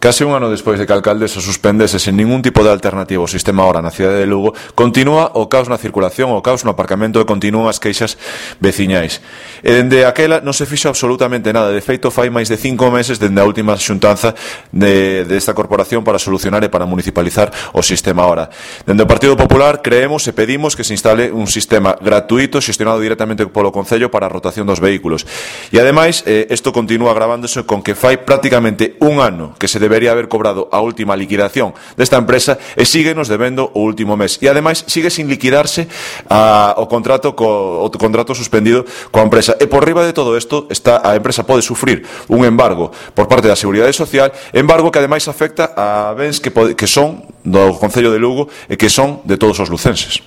Case un ano despois de que a alcaldesa suspendese sen ningún tipo de alternativa o sistema hora na cidade de Lugo, continúa o caos na circulación, o caos no aparcamento e continúan as queixas veciñais. E dende aquela non se fixo absolutamente nada. De feito, fai máis de 5 meses dende a última xuntanza desta corporación para solucionar e para municipalizar o sistema hora. Dende o Partido Popular creemos e pedimos que se instale un sistema gratuito xestionado directamente polo Concello para a rotación dos vehículos. E ademais, isto continúa agravándose con que fai prácticamente un ano que se debería haber cobrado a última liquidación desta empresa e síguenos debendo o último mes. E ademais sigue sin liquidarse o contrato suspendido coa empresa. E por riba de todo isto, a empresa pode sufrir un embargo por parte da Seguridade Social, embargo que ademais afecta a bens que son do Concello de Lugo e que son de todos os lucenses.